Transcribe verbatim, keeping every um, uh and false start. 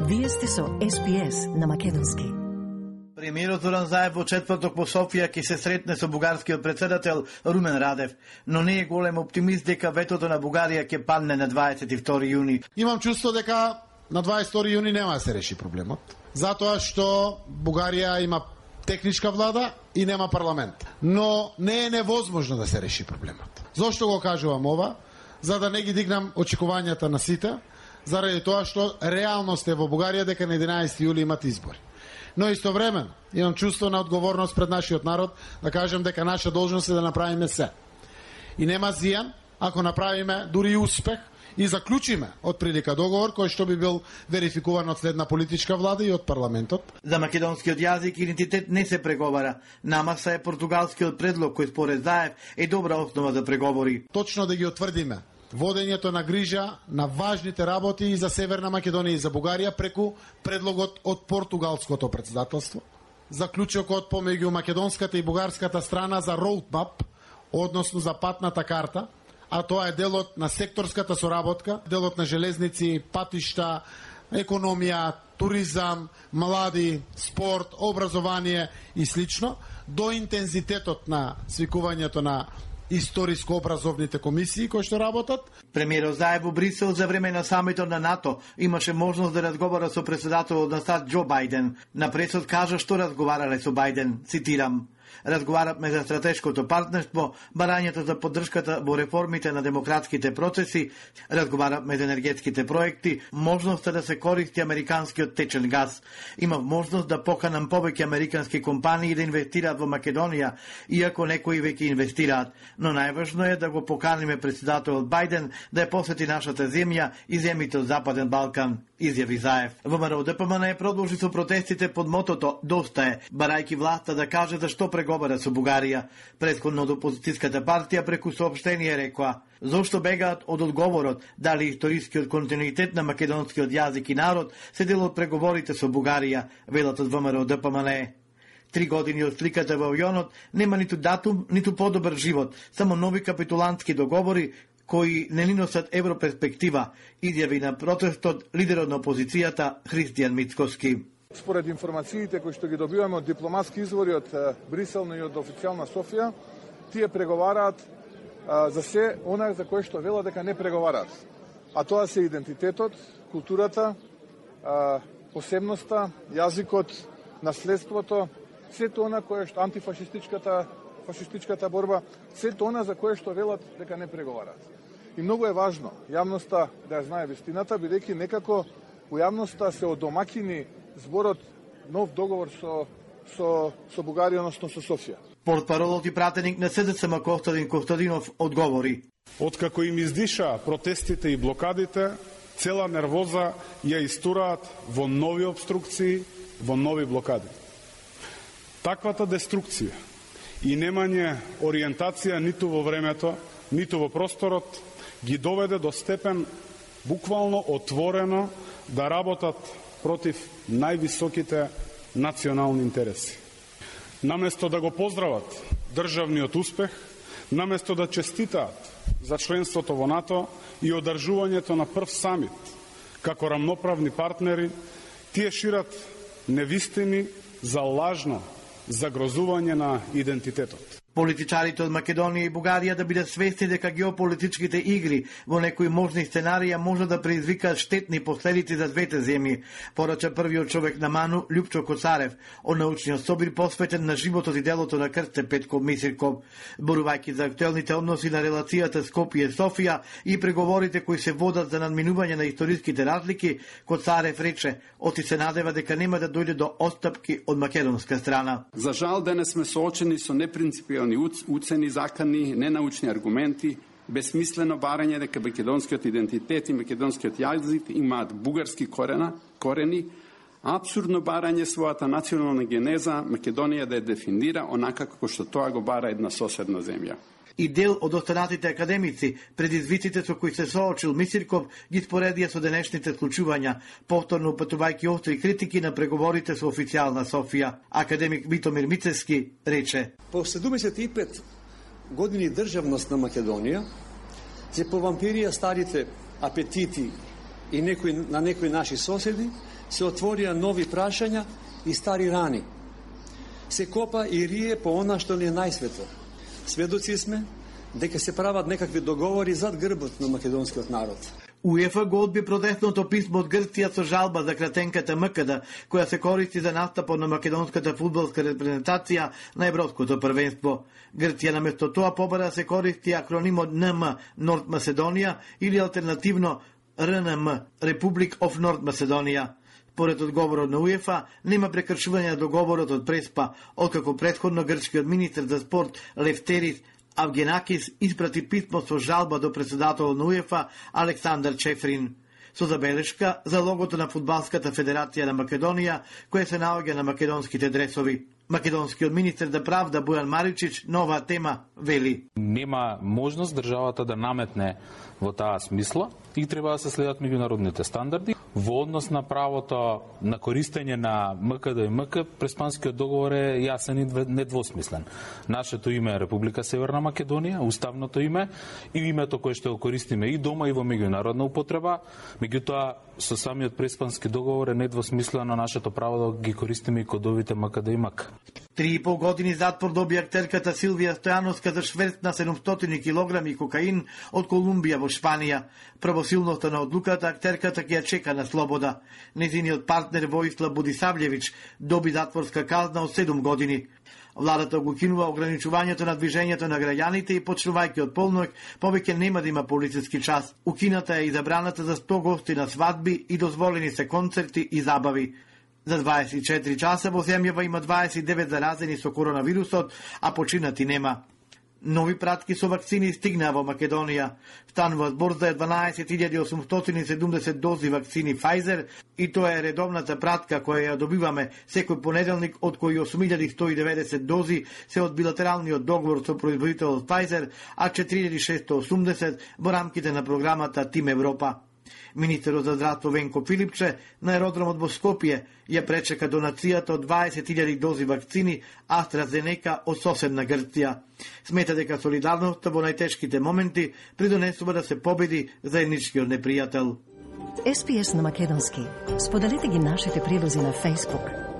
Вие сте со Ес Би Ес на македонски. Премиерот Зоран Заев во четврток во Софија ќе се сретне со бугарскиот претседател Румен Радев, но не е голем оптимист дека ветото на Бугарија ќе падне на дваесет и втори јуни. Имам чувство дека на дваесет и втори јуни нема да се реши проблемот, затоа што Бугарија има техничка влада и нема парламент. Но не е невозможно да се реши проблемот. Зошто го кажувам ова? За да не ги дигнам очекувањата на сите, заради тоа што реалност е во Бугарија дека на единаесети јули имат избори. Но истовремено имам чувство на одговорност пред нашиот народ да кажем дека наша должност е да направиме се. И нема зијан ако направиме дури и успех и заклучиме од прилика договор кој што би бил верификуван од следна политичка влада и од парламентот. За македонскиот јазик и идентитет не се преговара. Намаса е португалскиот предлог кој според Заев е добра основа за преговори. Точно да ги утврдиме водењето на грижа на важните работи и за Северна Македонија и за Бугарија преку предлогот од португалското претседателство. Заклучокот помеѓу македонската и бугарската страна за роудмап, односно за патната карта, а тоа е делот на секторската соработка, делот на железници, патишта, економија, туризам, млади, спорт, образование и слично, до интензитетот на свикувањето на историско-образовните комисии кои што работат. Премиерот Заев во Брисел за време на самитот на НАТО имаше можност да разговара со претседателот на САД Џо Бајден. На пресот кажа што разговарале со Бајден, цитирам: разговаравме за стратешкото партнерство, барањето за поддршката во реформите на демократските процеси, разговаравме за енергетските проекти, можноста да се користи американскиот течен газ. Имав можност да поканам повеќе американски компании да инвестираат во Македонија, иако некои веќе инвестираат. Но најважно е да го поканиме претседателот Бајден да ја посети нашата земја и земјите од Западен Балкан, изјави Заев. ВМРО Д П М Н продолжи со протестите под мотото "Доста е", барајќи власта да каже за што преговара со Бугарија. Претходно од опозицијската партија преку соопштение рекоа: зошто бегаат од одговорот дали историскиот континуитет на македонскиот јазик и народ се дел од преговорите со Бугарија, велат од ВМРО Д П М Н. Три години од сликата во авионот нема ниту датум, ниту подобар живот, само нови капитулантски договори кои не ни носат европерспектива, изјави на протестот лидерот на опозицијата Христијан Мицкоски. Според информациите кои што ги добиваме од дипломатски извори од Брисел и од официјална Софија, тие преговараат а, за се она за кое што вела дека не преговараат. А тоа се идентитетот, културата, а, посебноста, јазикот, наследството, сето она кое што антифашистичката фашистичката борба, сето она за кое што велат дека не преговараат. И многу е важно јавноста да ја знае вистината, бидејќи некако у јавноста се одомакини зборот нов договор со со со Бугарија, односно со Софија. Портпаролот и пратеник на С Д С М Костадин Костадинов одговори: откако им издиша протестите и блокадите, цела нервоза ја истураат во нови обструкции, во нови блокади. Таквата деструкција и немање ориентација ниту во времето, ниту во просторот ги доведе до степен буквално отворено да работат против највисоките национални интереси. Наместо да го поздрават државниот успех, наместо да честитаат за членството во НАТО и одржувањето на прв самит како рамноправни партнери, тие шират невистини за лажно загрозување на идентитетот. Политичарите од Македонија и Бугарија да бидат свесни дека геополитичките игри во некои можни сценарија може да предизвикаат штетни последици за двете земји, порача првиот човек на Ману, Љупчо Коцарев, од научниот собир посветен на животот и делото на Крсте Петков Мисирков. Зборувајќи за актуелните односи на релацијата Скопје-Софија и преговорите кои се водат за надминување на историските разлики, Коцарев рече: оти се надева дека нема да дојде до отстапки од македонска страна. За жал денес сме соочени со непринципиални уцени, закани, ненаучни аргументи, безсмислено барање дека македонскиот идентитет и македонскиот јазик имаат бугарски корена, корени, апсурдно барање својата национална генеза Македонија да ја дефинира онака како што тоа го бара една соседна земја. И дел од останатите академици, предизвиците со кои се соочил Мисирков, ги споредија со денешните случувања, повторно упатувајќи остри критики на преговорите со официјална Софија. Академик Витомир Мицевски рече: по седумдесет и пет години државност на Македонија се повампирија старите апетити и некои, на некои наши соседи се отворија нови прашања и стари рани. Се копа и рие по она што ни е најсветло. Сведоци сме дека се прават некакви договори зад грбот на македонскиот народ. УЕФА го одби протестното писмо од Грција со жалба за кратенката МКД, која се користи за настапот на македонската фудбалска репрезентација на Европското првенство. Грција наместо тоа побара да се користи акронимот Н М Норд Македонија или алтернативно Р Н М Republic of North Macedonia. Според одговорот на УЕФА, нема прекршување на договорот од Преспа, откако претходно грчкиот министер за спорт Лефтерис Авгенакис испрати писмо со жалба до председателот на УЕФА Александар Чефрин, со забелешка за логото на Фудбалската федерација на Македонија, која се наоѓа на македонските дресови. Македонскиот министер за правда Бојан Маричич на оваа тема вели: нема можност државата да наметне во таа смисла и треба да се следат меѓународните стандарди. Во однос на правото на користење на МКД и МК, Преспанскиот договор е јасен и недвосмислен. Нашето име е Република Северна Македонија, уставното име и името кое што го користиме и дома и во меѓународна употреба. Меѓутоа, со самиот Преспански договор е недвосмислено нашето право да ги користиме и кодовите МКД и МК. Три и пол години затвор доби актерката Силвија Стојановска за шверц на седумстотини килограми кокаин од Колумбија во Шпанија. Правосилноста на одлуката актерката ќе ја чека на слобода. Незиниот партнер Воислав Будисављевич доби затворска казна од седум години. Владата го кинува ограничувањето на движењето на граѓаните и почнувајќи од полноќ, повеќе нема да има полициски час. Укината е и забраната за сто гости на свадби и дозволени се концерти и забави. За дваесет и четири часа во земјава има дваесет и девет заразени со коронавирусот, а починати нема. Нови пратки со вакцини стигнаа во Македонија. Станува збор за дванаесет илјади осумстотини и седумдесет дози вакцини Pfizer и тоа е редовната пратка која ја добиваме секој понеделник, од кои осум илјади сто и деветдесет дози се од билатералниот договор со производителот Pfizer, а четири илјади шестоста и осумдесет во рамките на програмата Тим Европа. Министерот за здравство Венко Филипче на аеродромот во Скопје ја пречека донацијата од дваесет илјади дози вакцини AstraZeneca од соседна Грција. Смета дека солидарноста во најтешките моменти придонесува да се победи заедничкиот непријател. Ес Пи Ес на македонски. Споделете ги нашите прилози на Facebook,